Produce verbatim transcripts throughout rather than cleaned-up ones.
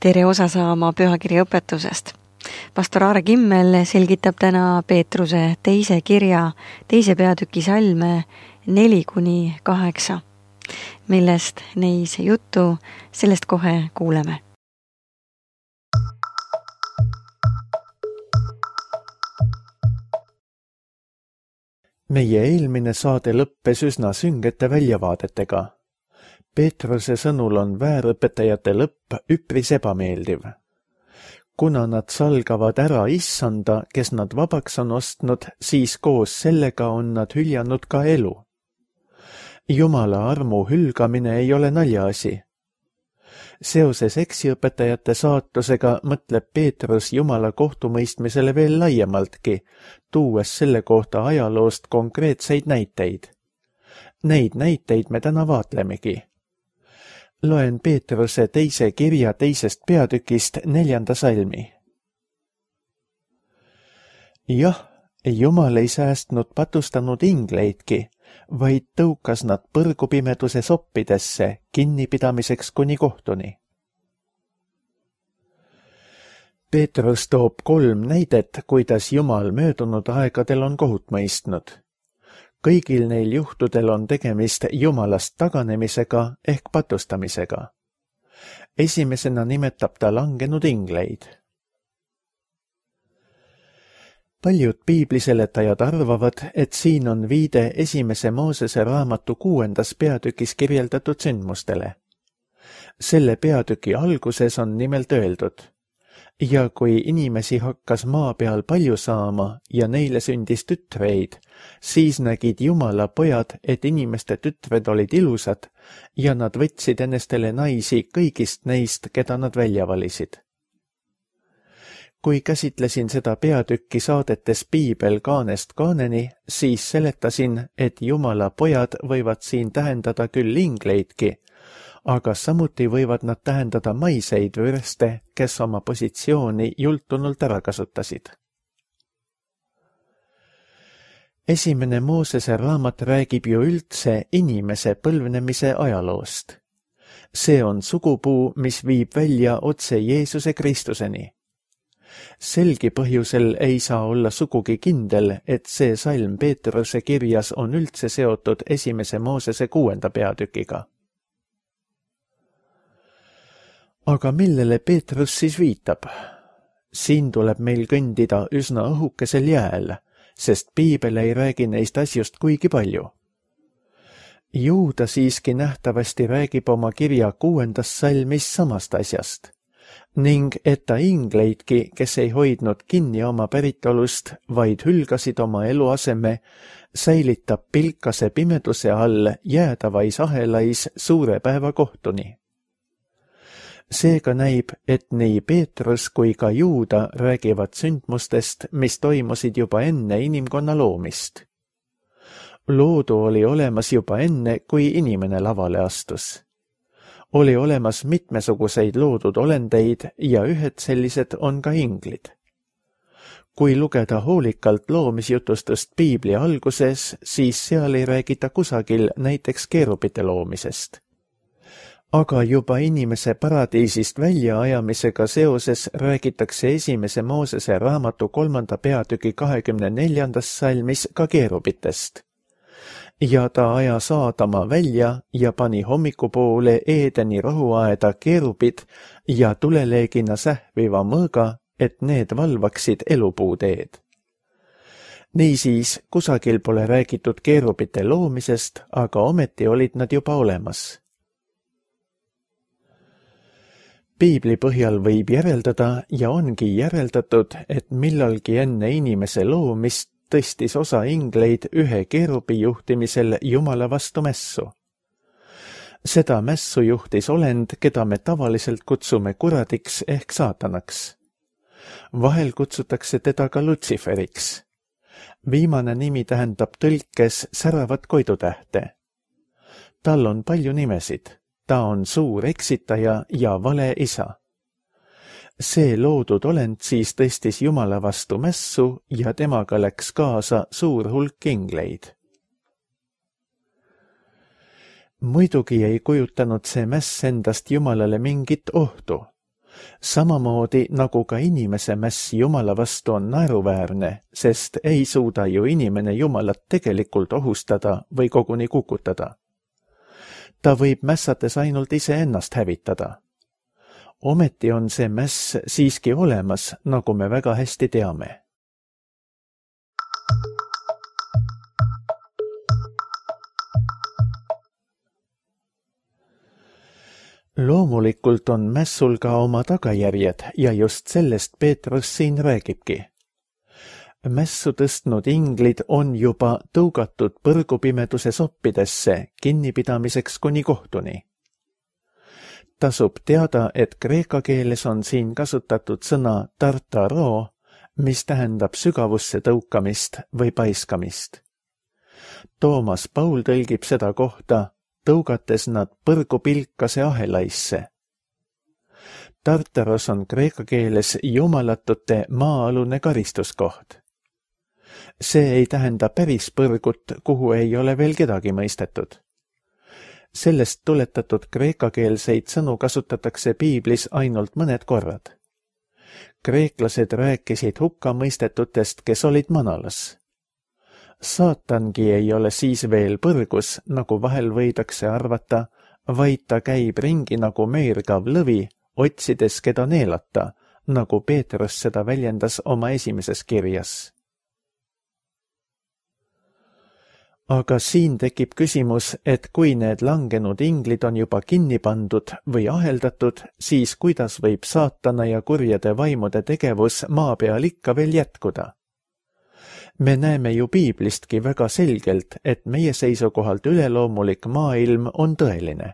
tere osa saama pühakirja õpetusest. Pastor Aare Kimmel selgitab täna Peetruse teise kirja teise peatüki salme neli kuni kaheksa. Millest neis juttu, sellest kohe kuuleme. Meie eelmine saade lõppes üsna süngete väljavaadetega. Peetruse sõnul on väärõpetajate lõpp üpris ebameeldiv. Kuna nad salgavad ära issanda, kes nad vabaks on ostnud, siis koos sellega on nad hüljanud ka elu. Jumala armu hülgamine ei ole naljaasi. Seoses eksiõpetajate saatusega mõtleb Peetrus Jumala kohtumõistmisele veel laiemaltki, tuues selle kohta ajaloost konkreetseid näiteid. Neid näiteid me täna vaatlemegi. Loen Peetruse teise kirja teisest peatükist neljanda salmi. Jah, Jumal ei säästnud patustanud ingleidki, vaid tõukas nad põrgupimeduse soppidesse kinnipidamiseks kuni kohtuni. Peetrus toob kolm näidet, kuidas Jumal möödunud aegadel on kohut mõistnud. Kõigil neil juhtudel on tegemist Jumalast taganemisega ehk patustamisega. Esimesena nimetab ta langenud ingleid. Paljud piibliseletajad arvavad, et siin on viide esimese Moosese raamatu kuuendas peatükis kirjeldatud sündmustele. Selle peatüki alguses on nimelt öeldud: ja kui inimesi hakkas maa peal palju saama ja neile sündis tütreid, siis nägid Jumala pojad, et inimeste tütred olid ilusad ja nad võtsid ennestele naisi kõigist neist, keda nad välja valisid. Kui käsitlesin seda peatükki saadetes Piibel kaanest kaaneni, siis seletasin, et Jumala pojad võivad siin tähendada küll ingleidki, aga samuti võivad nad tähendada maiseid vürste, kes oma positsiooni jultunult ära kasutasid. Esimene Moosese raamat räägib ju üldse inimese põlvnemise ajaloost. See on sugupuu, mis viib välja otse Jeesuse Kristuseni. Selgi põhjusel ei saa olla sugugi kindel, et see salm Peetruse kirjas on üldse seotud esimese Moosese kuuenda peatükiga. Aga millele Peetrus siis viitab? Siin tuleb meil kõndida üsna õhukesel jääl, sest Piibel ei räägi neist asjust kuigi palju. Ju ta siiski nähtavasti räägib oma kirja kuuendas salmis samast asjast, ning et ta ingleidki, kes ei hoidnud kinni oma päritolust, vaid hülgasid oma eluaseme, säilitab pilkase pimeduse all jäädavais ahelais suure päeva kohtuni. Seega näib, et nii Peetrus kui ka Juuda räägivad sündmustest, mis toimusid juba enne inimkonna loomist. Loodu oli olemas juba enne, kui inimene lavale astus. Oli olemas mitmesuguseid loodud olendeid ja ühed sellised on ka inglid. Kui lugeda hoolikalt loomisjutustust Piibli alguses, siis seal ei räägita kusagil näiteks keerupite loomisest. Aga juba inimese paradiisist väljaajamisega seoses räägitakse esimese Moosese raamatu kolmanda peatüki kahekümne neljandas salmis ka keerupitest. Ja ta ajas Aadama välja ja pani hommikupoole Eedeni rohuaeda keerupid ja tuleleegina sähviva mõõga, et need valvaksid elupuuteed. Niisiis, kusagil pole räägitud keerupite loomisest, aga ometi olid nad juba olemas. Piibli põhjal võib järeldada ja ongi järeldatud, et millalgi enne inimese loomist tõstis osa ingleid ühe keerubi juhtimisel Jumala vastu mässu. Seda mässu juhtis olend, keda me tavaliselt kutsume kuradiks ehk saatanaks. Vahel kutsutakse teda ka Lutsiferiks. Viimane nimi tähendab tõlkes säravat koidutähte. Tal on palju nimesid. Ta on suur eksitaja ja vale isa. See loodud olend siis tõstis Jumala vastu mässu ja temaga läks kaasa suur hulk ingleid. Muidugi ei kujutanud see mäss endast Jumalale mingit ohtu. Samamoodi nagu ka inimese mäss Jumala vastu on naeruväärne, sest ei suuda ju inimene Jumalat tegelikult ohustada või koguni kukutada. Ta võib mässates ainult iseennast hävitada. Ometi on see mäss siiski olemas, nagu me väga hästi teame. Loomulikult on mässul ka oma tagajärjed ja just sellest Peetrus siin räägibki. Mässu tõstnud inglid on juba tõugatud põrgupimeduse soppidesse kinnipidamiseks kuni kohtuni. Tasub teada, et kreeka keeles on siin kasutatud sõna tartaro, mis tähendab sügavusse tõukamist või paiskamist. Toomas Paul tõlgib seda kohta tõugates nad põrgupilkase ahelaisse. Tartaros on kreeka keeles jumalatute maa-alune karistuskoht. See ei tähenda päris põrgut, kuhu ei ole veel kedagi mõistetud. Sellest tuletatud kreekakeelseid sõnu kasutatakse piiblis ainult mõned korrad. Kreeklased rääkisid hukkamõistetutest, kes olid manalas. Saatangi ei ole siis veel põrgus, nagu vahel võidakse arvata, vaid ta käib ringi nagu meergav lõvi, otsides keda neelata, nagu Peetrus seda väljendas oma esimeses kirjas. Aga siin tekib küsimus, et kui need langenud inglid on juba kinni pandud või aheldatud, siis kuidas võib saatana ja kurjade vaimude tegevus maa peal ikka veel jätkuda? Me näeme ju piiblistki väga selgelt, et meie seisukohalt üleloomulik maailm on tõeline.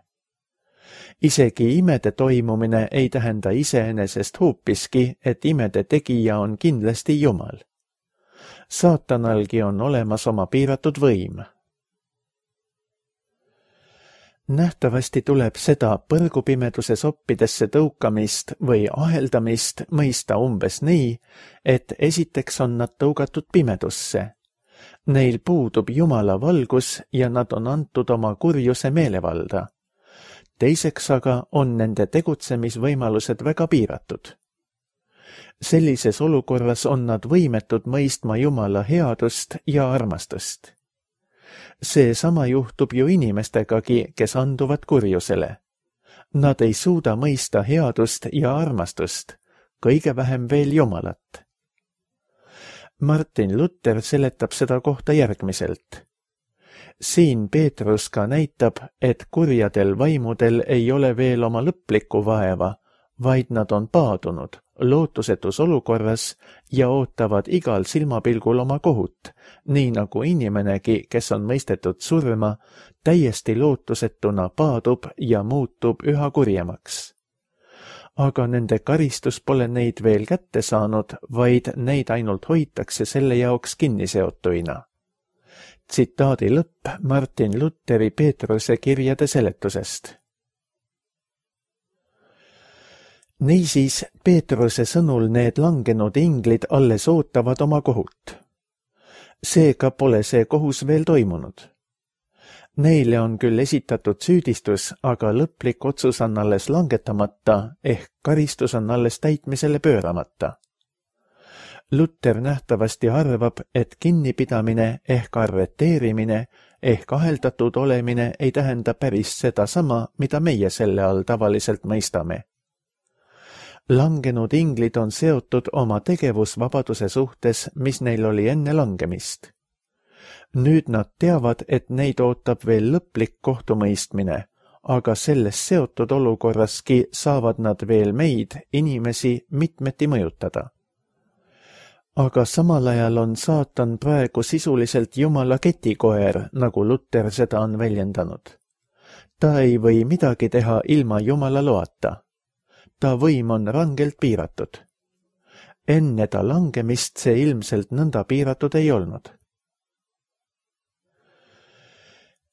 Isegi imede toimumine ei tähenda iseenesest hoopiski, et imede tegija on kindlasti Jumal. Saatanalgi on olemas oma piiratud võim. Nähtavasti tuleb seda põrgupimeduse soppidesse tõukamist või aheldamist mõista umbes nii, et esiteks on nad tõugatud pimedusse. Neil puudub Jumala valgus ja nad on antud oma kurjuse meelevalda. Teiseks aga on nende tegutsemisvõimalused väga piiratud. Sellises olukorras on nad võimetud mõistma Jumala headust ja armastust. See sama juhtub ju inimestegagi, kes anduvad kurjusele. Nad ei suuda mõista headust ja armastust, kõige vähem veel Jumalat. Martin Luther seletab seda kohta järgmiselt. Siin Peetrus ka näitab, et kurjadel vaimudel ei ole veel oma lõplikku vaeva, vaid nad on paadunud, lootusetus olukorras ja ootavad igal silmapilgul oma kohut, nii nagu inimenegi, kes on mõistetud surma, täiesti lootusetuna paadub ja muutub üha kurjemaks. Aga nende karistus pole neid veel kätte saanud, vaid neid ainult hoitakse selle jaoks kinniseotuina. Tsitaadi lõpp Martin Lutheri Peetruse kirjade seletusest. Niisiis, Peetruse sõnul need langenud inglid alles ootavad oma kohut. Seega pole see kohus veel toimunud. Neile on küll esitatud süüdistus, aga lõplik otsus on alles langetamata, ehk karistus on alles täitmisele pööramata. Luther nähtavasti arvab, et kinnipidamine ehk arreteerimine ehk aheldatud olemine ei tähenda päris seda sama, mida meie selle all tavaliselt mõistame. Langenud inglid on seotud oma tegevusvabaduse suhtes, mis neil oli enne langemist. Nüüd nad teavad, et neid ootab veel lõplik kohtumõistmine, aga selles seotud olukorraski saavad nad veel meid, inimesi, mitmeti mõjutada. Aga samal ajal on saatan praegu sisuliselt Jumala ketikoer, nagu Luther seda on väljendanud. Ta ei või midagi teha ilma Jumala loata. Ta võim on rangelt piiratud. Enne ta langemist see ilmselt nõnda piiratud ei olnud.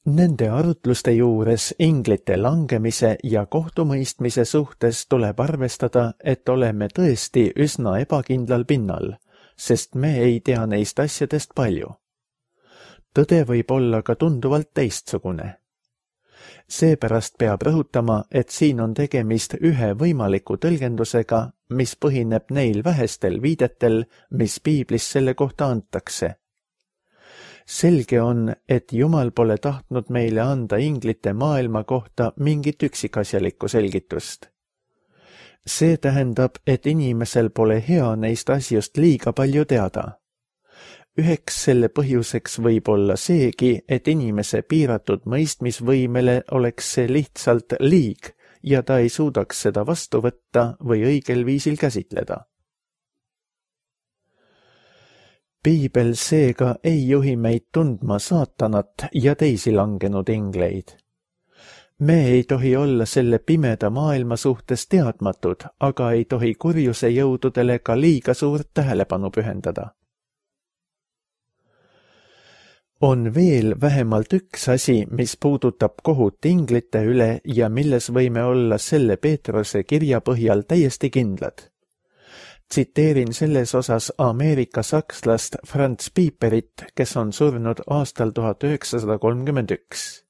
Nende arutluste juures inglite langemise ja kohtumõistmise suhtes tuleb arvestada, et oleme tõesti üsna ebakindlal pinnal, sest me ei tea neist asjadest palju. Tõde võib olla ka tunduvalt teistsugune. Seepärast peab rõhutama, et siin on tegemist ühe võimaliku tõlgendusega, mis põhineb neil vähestel viidetel, mis piiblis selle kohta antakse. Selge on, et Jumal pole tahtnud meile anda inglite maailma kohta mingit üksikasjalikku selgitust. See tähendab, et inimesel pole hea neist asjust liiga palju teada. Üheks selle põhjuseks võib olla seegi, et inimese piiratud mõistmisvõimele oleks see lihtsalt liig ja ta ei suudaks seda vastu võtta või õigel viisil käsitleda. Piibel seega ei juhi meid tundma saatanat ja teisi langenud ingleid. Me ei tohi olla selle pimeda maailma suhtes teadmatud, aga ei tohi kurjuse jõududele ka liiga suurt tähelepanu pühendada. On veel vähemalt üks asi, mis puudutab kohut inglite üle ja milles võime olla selle Peetruse kirja põhjal täiesti kindlad. Tsiteerin selles osas Ameerika sakslast Franz Pieperit, kes on surnud aastal tuhat üheksasada kolmkümmend üks.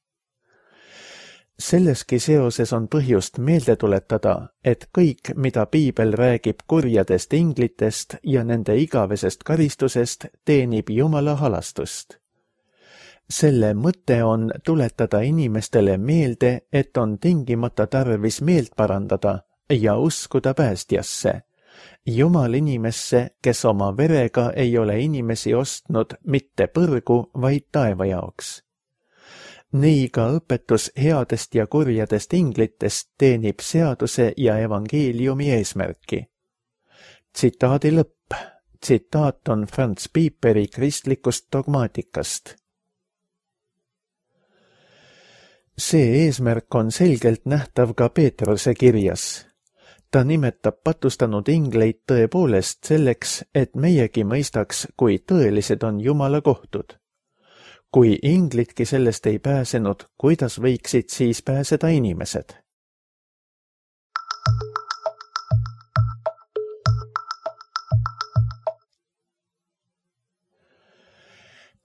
Selleski seoses on põhjust meelde tuletada, et kõik, mida Piibel räägib kurjadest inglitest ja nende igavesest karistusest, teenib Jumala halastust. Selle mõte on tuletada inimestele meelde, et on tingimata tarvis meelt parandada ja uskuda päästjasse, Jumal inimesse, kes oma verega ei ole inimesi ostnud mitte põrgu, vaid taeva jaoks. Nii ka õpetus headest ja kurjadest inglitest teenib seaduse ja evangeeliumi eesmärki. Tsitaadi lõpp. Tsitaat on Franz Pieperi kristlikust dogmaatikast. See eesmärk on selgelt nähtav ka Peetruse kirjas. Ta nimetab patustanud ingleid tõepoolest selleks, et meiegi mõistaks, kui tõelised on Jumala kohtud. Kui inglidki sellest ei pääsenud, kuidas võiksid siis pääseda inimesed?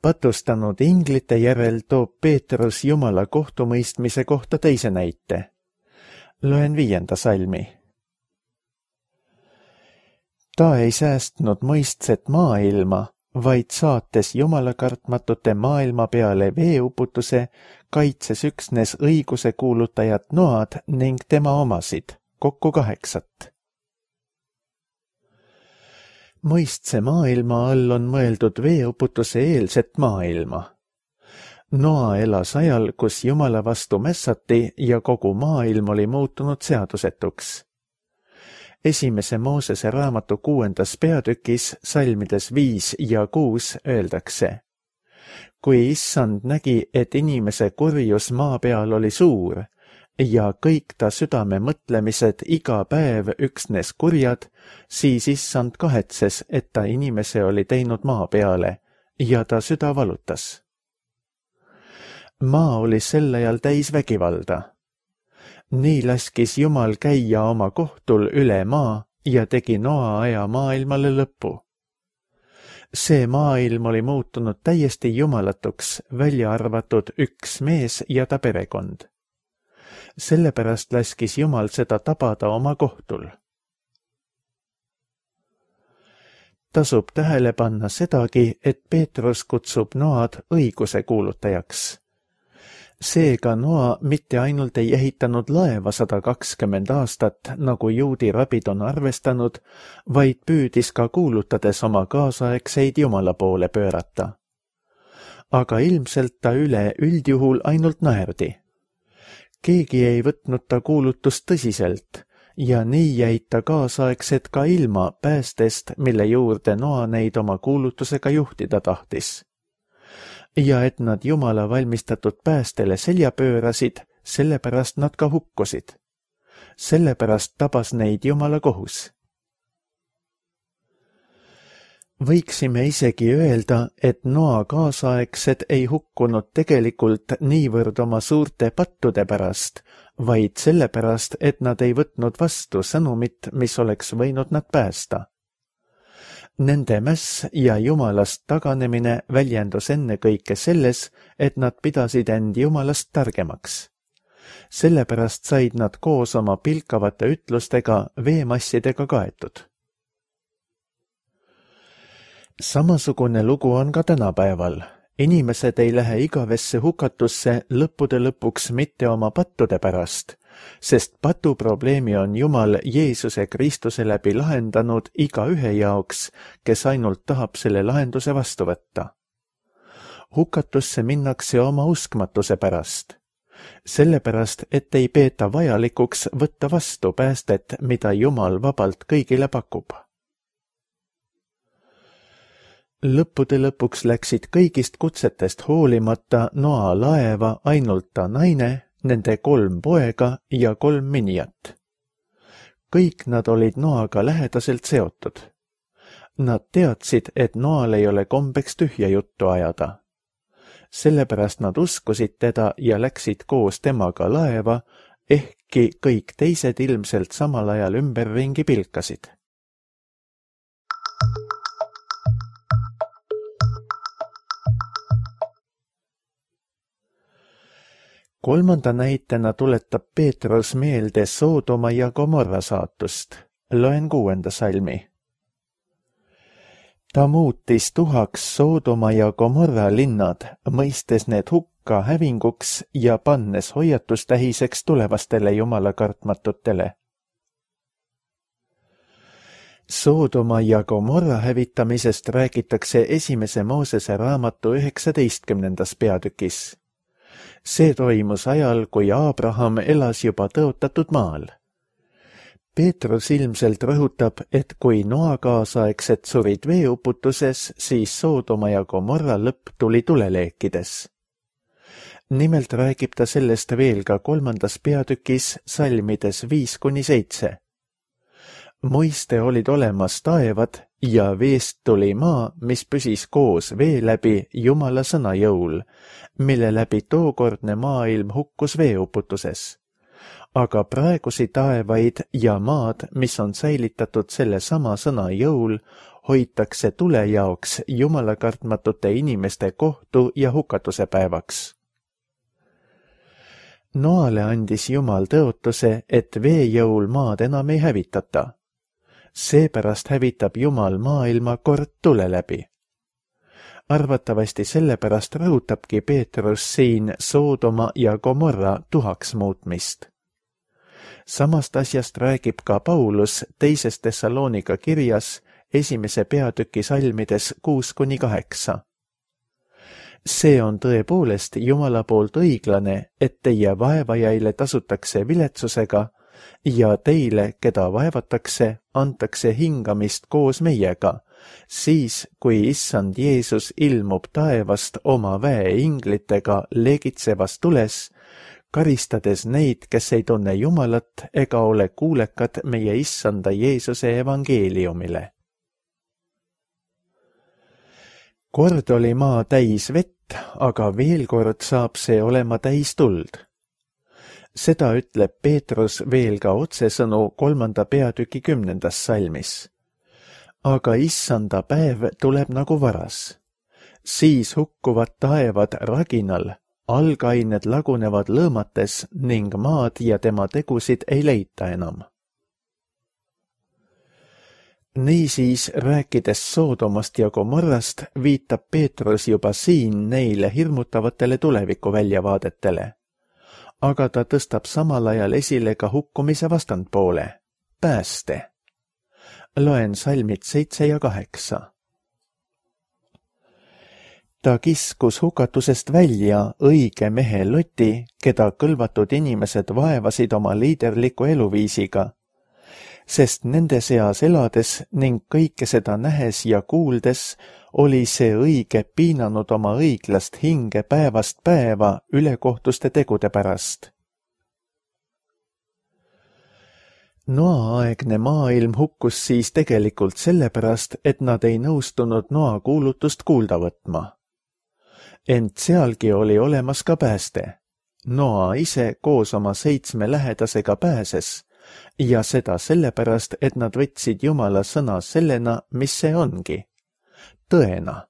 Patustanud inglite järel toob Peetrus Jumala kohtumõistmise kohta teise näite. Loen viienda salmi. Ta ei säästnud mõistset maailma, vaid saates Jumala kartmatute maailma peale veeuputuse, kaitses üksnes õiguse kuulutajat Noad ning tema omasid, kokku kaheksat. Mõistse maailma all on mõeldud veeuputuse eelset maailma. Noa elas ajal, kus Jumala vastu mässati ja kogu maailm oli muutunud seadusetuks. Esimese Moosese raamatu kuuendas peatükis salmides viis ja kuus öeldakse. Kui issand nägi, et inimese kurjus maa peal oli suur ja kõik ta südame mõtlemised iga päev üksnes kurjad, siis issand kahetses, et ta inimese oli teinud maa peale ja ta süda valutas. Maa oli sel ajal täis vägivalda. Nii laskis Jumal käia oma kohtul üle maa ja tegi Noa aja maailmale lõpu. See maailm oli muutunud täiesti jumalatuks, välja arvatud üks mees ja ta perekond. Sellepärast laskis Jumal seda tabada oma kohtul. Tasub tähele panna sedagi, et Peetrus kutsub Noad õiguse kuulutajaks. Seega Noa mitte ainult ei ehitanud laeva sada kakskümmend aastat, nagu juudi rabid on arvestanud, vaid püüdis ka kuulutades oma kaasaegseid Jumala poole pöörata. Aga ilmselt ta üle üldjuhul ainult naerdi. Keegi ei võtnud ta kuulutust tõsiselt ja nii jäid ta kaasaegsed ka ilma päästest, mille juurde Noa neid oma kuulutusega juhtida tahtis. Ja et nad Jumala valmistatud päästele selja pöörasid, sellepärast nad ka hukkusid. Sellepärast tabas neid Jumala kohus. Võiksime isegi öelda, et Noa kaasaegsed ei hukkunud tegelikult niivõrd oma suurte pattude pärast, vaid sellepärast, et nad ei võtnud vastu sõnumit, mis oleks võinud nad päästa. Nende mäss ja Jumalast taganemine väljendus ennekõike selles, et nad pidasid end Jumalast targemaks. Sellepärast said nad koos oma pilkavate ütlustega veemassidega kaetud. Samasugune lugu on ka tänapäeval. Inimesed ei lähe igavesse hukatusse lõppude lõpuks mitte oma pattude pärast, sest patuprobleemi on Jumal Jeesuse Kristuse läbi lahendanud iga ühe jaoks, kes ainult tahab selle lahenduse vastu võtta. Hukatusse minnakse oma uskmatuse pärast. Sellepärast, et ei peeta vajalikuks võtta vastu päästet, mida Jumal vabalt kõigile pakub. Lõppude lõpuks läksid kõigist kutsetest hoolimata Noa laeva ainult ta naine, nende kolm poega ja kolm minijat. Kõik nad olid Noaga lähedaselt seotud. Nad teadsid, et Noal ei ole kombeks tühja juttu ajada. Sellepärast nad uskusid teda ja läksid koos temaga laeva, ehkki kõik teised ilmselt samal ajal ümberringi pilkasid. Kolmanda näitena tuletab Peetrus meelde Soodoma ja Gomorra saatust. Loen kuuenda salmi. Ta muutis tuhaks Soodoma ja Gomorra linnad, mõistes need hukka hävinguks ja pannes hoiatustähiseks tulevastele jumala kartmatutele. Soodoma ja Gomorra hävitamisest räägitakse esimese Moosese raamatu üheksateistkümnendas peatükis. See toimus ajal, kui Abraham elas juba tõotatud maal. Peetrus ilmselt rõhutab, et kui Noa kaasaegsed surid veeuputuses, siis Soodoma ja Gomorra lõpp tuli tuleleekides. Nimelt räägib ta sellest veel ka kolmandas peatükis salmides viis kuni seitse. Muiste olid olemas taevad ja veest tuli maa, mis püsis koos vee läbi Jumala sõna jõul, mille läbi tookordne maailm hukkus veeuputuses. Aga praegusi taevaid ja maad, mis on säilitatud selle sama sõna jõul, hoitakse tule jaoks Jumala kartmatute inimeste kohtu ja hukatuse päevaks. Noale andis Jumal tõotuse, et vee jõul maad enam ei hävitata. Seepärast hävitab Jumal maailma kord tule läbi. Arvatavasti sellepärast rõhutabki Peetrus siin Soodoma ja Gomorra tuhaks muutmist. Samast asjast räägib ka Paulus teises Thessalonika kirjas esimese peatüki salmides kuus kuni kaheksa. See on tõepoolest Jumala poolt õiglane, et teie vaevajaile tasutakse viletsusega ja teile, keda vaevatakse, antakse hingamist koos meiega, siis kui issand Jeesus ilmub taevast oma väe inglitega legitsevas tules, karistades neid, kes ei tunne Jumalat ega ole kuulekad meie issanda Jeesuse evangeeliumile. Kord oli maa täis vett, aga veel kord saab see olema täis tuld. Seda ütleb Peetrus veel ka otsesõnu kolmanda peatüki kümnendas salmis. Aga issanda päev tuleb nagu varas. Siis hukkuvad taevad raginal, algained lagunevad lõõmates ning maad ja tema tegusid ei leita enam. Niisiis, rääkides Soodomast ja Gomorrast, viitab Peetrus juba siin neile hirmutavatele tuleviku väljavaadetele. Aga ta tõstab samal ajal esile ka hukkumise vastandpoole, pääste. Loen salmid seitse ja kaheksa. Ta kiskus hukatusest välja õige mehe Loti, keda kõlvatud inimesed vaevasid oma liiderliku eluviisiga, sest nende seas elades ning kõike seda nähes ja kuuldes oli see õige piinanud oma õiglast hinge päevast päeva ülekohtuste tegude pärast. Noa-aegne maailm hukkus siis tegelikult sellepärast, et nad ei nõustunud Noa kuulutust kuulda võtma. Ent sealgi oli olemas ka pääste. Noa ise koos oma seitsme lähedasega pääses, ja seda sellepärast, et nad võtsid Jumala sõna sellena, mis see ongi, tõena.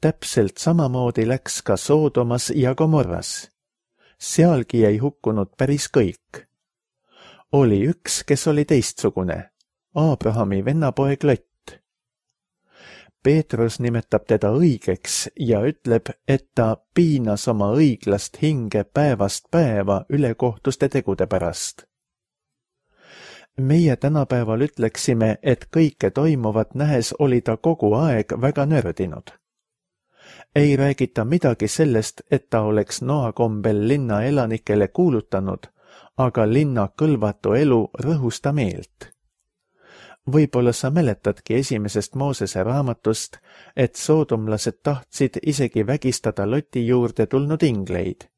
Täpselt samamoodi läks ka Soodomas ja Gomorras. sealgi ei hukkunud päris kõik. Oli üks, kes oli teistsugune, Abrahami vennapoeg Lott. Peetrus nimetab teda õigeks ja ütleb, et ta piinas oma õiglast hinge päevast päeva ülekohtuste tegude pärast. Meie tänapäeval ütleksime, et kõike toimuvat nähes oli ta kogu aeg väga nördinud. Ei räägita midagi sellest, et ta oleks noakombel linna elanikele kuulutanud, aga linna kõlvatu elu rõhus ta meelt. Võib-olla sa mäletadki esimesest Moosese raamatust, et soodomlased tahtsid isegi vägistada Loti juurde tulnud ingleid.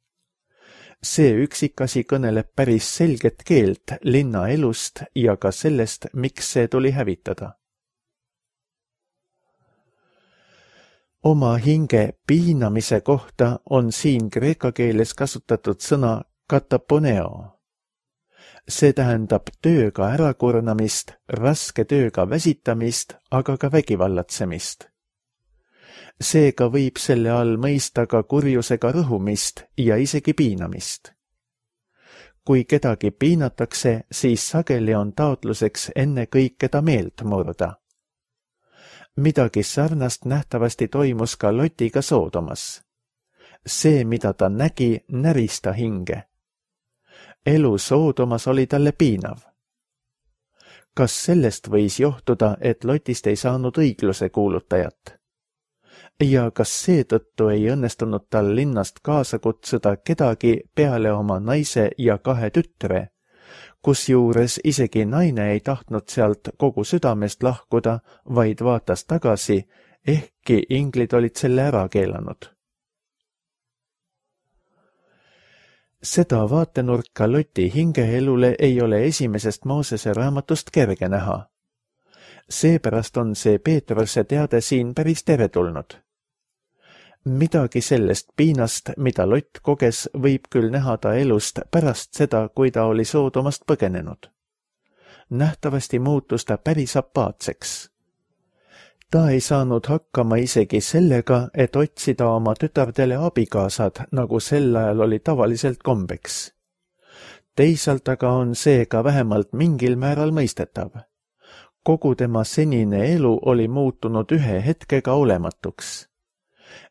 See üksikasi kõneleb päris selget keelt linna elust ja ka sellest, miks see tuli hävitada. Oma hinge piinamise kohta on siin kreeka keeles kasutatud sõna kataponeo. See tähendab tööga ärakurnamist, raske tööga väsitamist, aga ka vägivallatsemist. Seega võib selle all mõista ka kurjusega rõhumist ja isegi piinamist. Kui kedagi piinatakse, siis sageli on taotluseks enne kõike ta meelt murda. Midagi sarnast nähtavasti toimus ka Lotiga Soodomas. See, mida ta nägi, näris ta hinge. Elu Soodomas oli talle piinav. Kas sellest võis johtuda, et Lotist ei saanud õigluse kuulutajat? Ja kas seetõttu ei õnnestunud tal linnast kaasa kutsuda kedagi peale oma naise ja kahe tütre, kusjuures isegi naine ei tahtnud sealt kogu südamest lahkuda, vaid vaatas tagasi, ehkki inglid olid selle ära keelanud. Seda vaatenurka Loti hingeelule ei ole esimesest Moosese raamatust kerge näha. Seepärast on see Peetruse teade siin päris teretulnud. Midagi sellest piinast, mida Lott koges, võib küll näha ta elust pärast seda, kui ta oli Soodomast põgenenud. Nähtavasti muutus ta päris apaatseks. Ta ei saanud hakkama isegi sellega, et otsida oma tütardele abikaasad, nagu sel ajal oli tavaliselt kombeks. Teisalt aga on see ka vähemalt mingil määral mõistetav. Kogu tema senine elu oli muutunud ühe hetkega olematuks.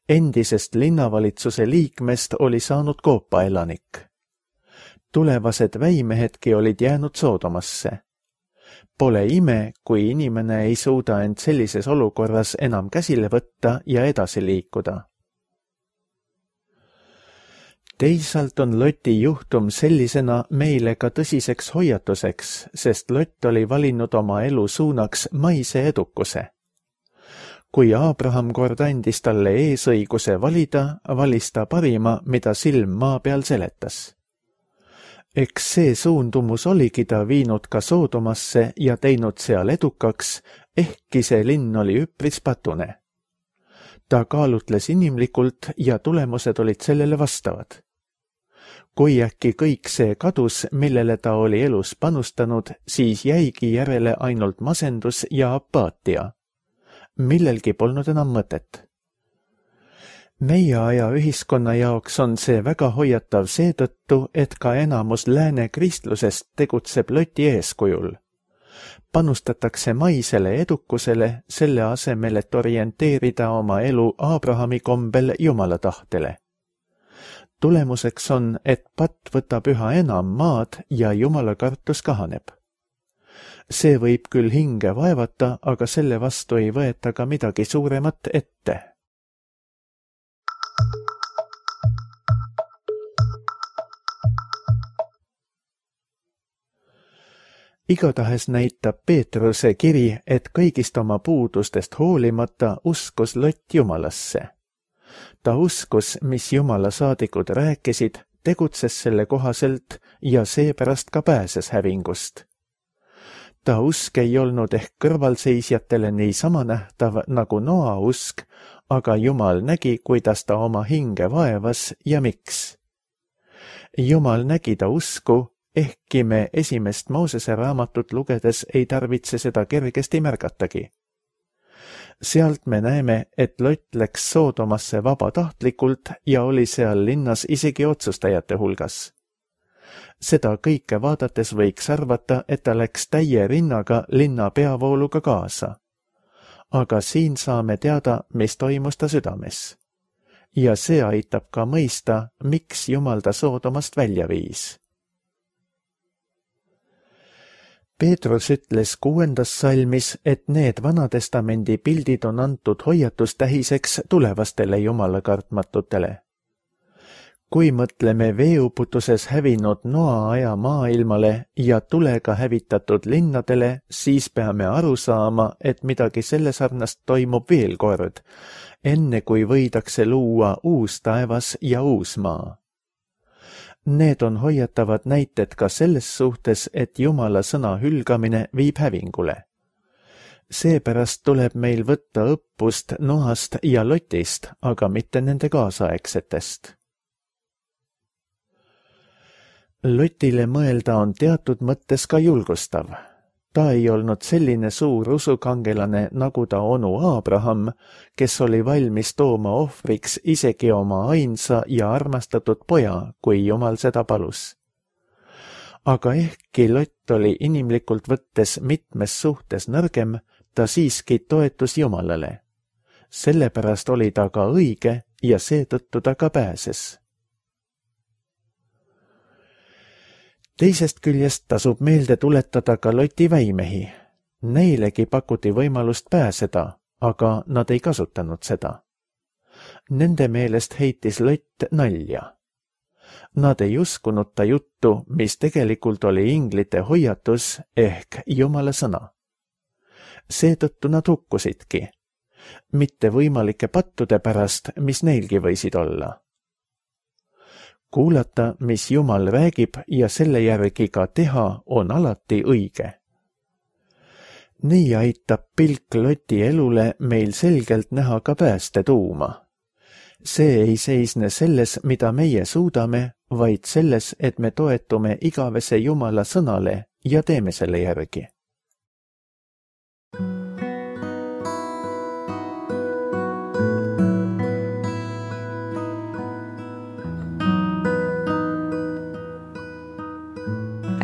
Endisest linnavalitsuse liikmest oli saanud koopaelanik. Tulevased väimehedki olid jäänud Soodomasse. Pole ime, kui inimene ei suuda end sellises olukorras enam käsile võtta ja edasi liikuda. Teisalt on Loti juhtum sellisena meile ka tõsiseks hoiatuseks, sest Lott oli valinud oma elu suunaks maise edukuse. Kui Abraham kord andis talle eesõiguse valida, valis ta parima, mida silm maa peal seletas. Eks see suundumus oligi ta viinud ka Soodomasse ja teinud seal edukaks, ehkki see linn oli üpris patune. Ta kaalutles inimlikult ja tulemused olid sellele vastavad. Kui äkki kõik see kadus, millele ta oli elus panustanud, siis jäigi järele ainult masendus ja apaatia. Millelgi polnud enam mõtet. Meie aja ühiskonna jaoks on see väga hoiatav seetõttu, et ka enamus lääne kristlusest tegutseb Loti eeskujul. Panustatakse maisele edukusele selle asemel, et orienteerida oma elu Abrahami kombel Jumala tahtele. Tulemuseks on, et patt võtab üha enam maad ja Jumala kartus kahaneb. See võib küll hinge vaevata, aga selle vastu ei võeta ka midagi suuremat ette. Igatahes näitab Peetruse kiri, et kõigist oma puudustest hoolimata uskus Lott Jumalasse. Ta uskus, mis Jumala saadikud rääkisid, tegutses selle kohaselt ja seepärast ka pääses hävingust. Ta usk ei olnud ehk kõrvalseisjatele niisama nähtav nagu Noa usk, aga Jumal nägi, kuidas ta oma hinge vaevas ja miks. Jumal nägi ta usku, ehkki me esimest Moosese raamatut lugedes ei tarvitse seda kergesti märgatagi. Sealt me näeme, et Lott läks Soodomasse vabatahtlikult ja oli seal linnas isegi otsustajate hulgas. Seda kõike vaadates võiks arvata, et ta läks täie rinnaga linna peavooluga kaasa. Aga siin saame teada, mis toimus ta südames. Ja see aitab ka mõista, miks Jumal ta Soodomast välja viis. Peetrus ütles kuuendas salmis, et need Vanatestamendi pildid on antud hoiatustähiseks tulevastele Jumala kartmatutele. Kui mõtleme veeuputuses hävinud Noa aja maailmale ja tulega hävitatud linnadele, siis peame aru saama, et midagi selle sarnast toimub veel kord, enne kui võidakse luua uus taevas ja uus maa. Need on hoiatavad näited ka selles suhtes, et Jumala sõna hülgamine viib hävingule. Seepärast tuleb meil võtta õppust Noast ja Lotist, aga mitte nende kaasaegsetest. Lotile mõelda on teatud mõttes ka julgustav. Ta ei olnud selline suur usukangelane nagu ta onu Abraham, kes oli valmis tooma ohvriks isegi oma ainsa ja armastatud poja, kui Jumal seda palus. Aga ehkki Lott oli inimlikult võttes mitmes suhtes nõrgem, ta siiski toetus Jumalale. Sellepärast oli ta ka õige ja seetõttu ta ka pääses. Teisest küljest tasub meelde tuletada ka Loti väimehi. Neilegi pakuti võimalust pääseda, aga nad ei kasutanud seda. Nende meelest heitis Lott nalja. Nad ei uskunud ta juttu, mis tegelikult oli inglite hoiatus ehk Jumala sõna. Seetõttu nad hukkusidki. Mitte võimalike pattude pärast, mis neilgi võisid olla. Kuulata, mis Jumal räägib ja selle järgi ka teha, on alati õige. Nii aitab pilk Loti elule meil selgelt näha ka pääste tuuma. See ei seisne selles, mida meie suudame, vaid selles, et me toetume igavese Jumala sõnale ja teeme selle järgi.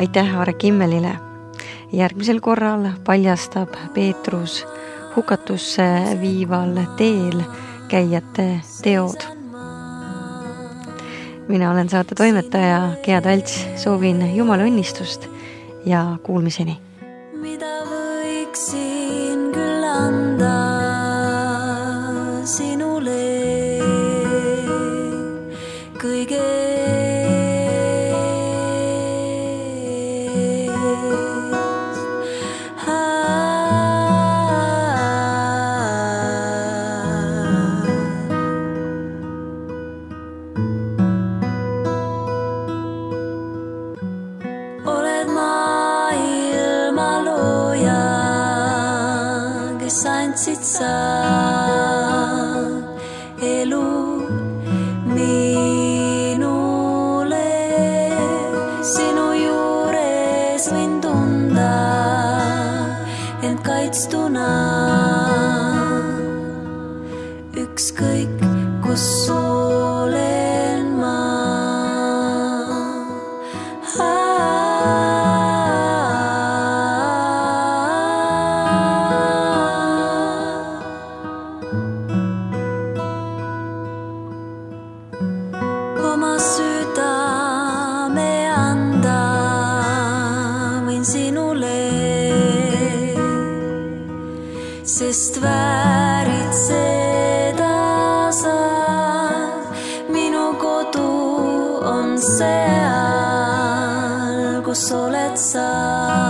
Aitäh Aare Kimmelile. Järgmisel korral paljastab Peetrus hukatusse viival teel käijate teod. Mina olen saate toimetaja Gea Talts, soovin Jumala õnnistust ja kuulmiseni. Mida võiksin küll anda sinule kõige andsid sa elu minule, sinu juures võin tunda end kaitstuna, ükskõik kus olen ma. Oma südame anda võin sinule, sest väärid seda sa. Minu kodu on seal, kus oled sa.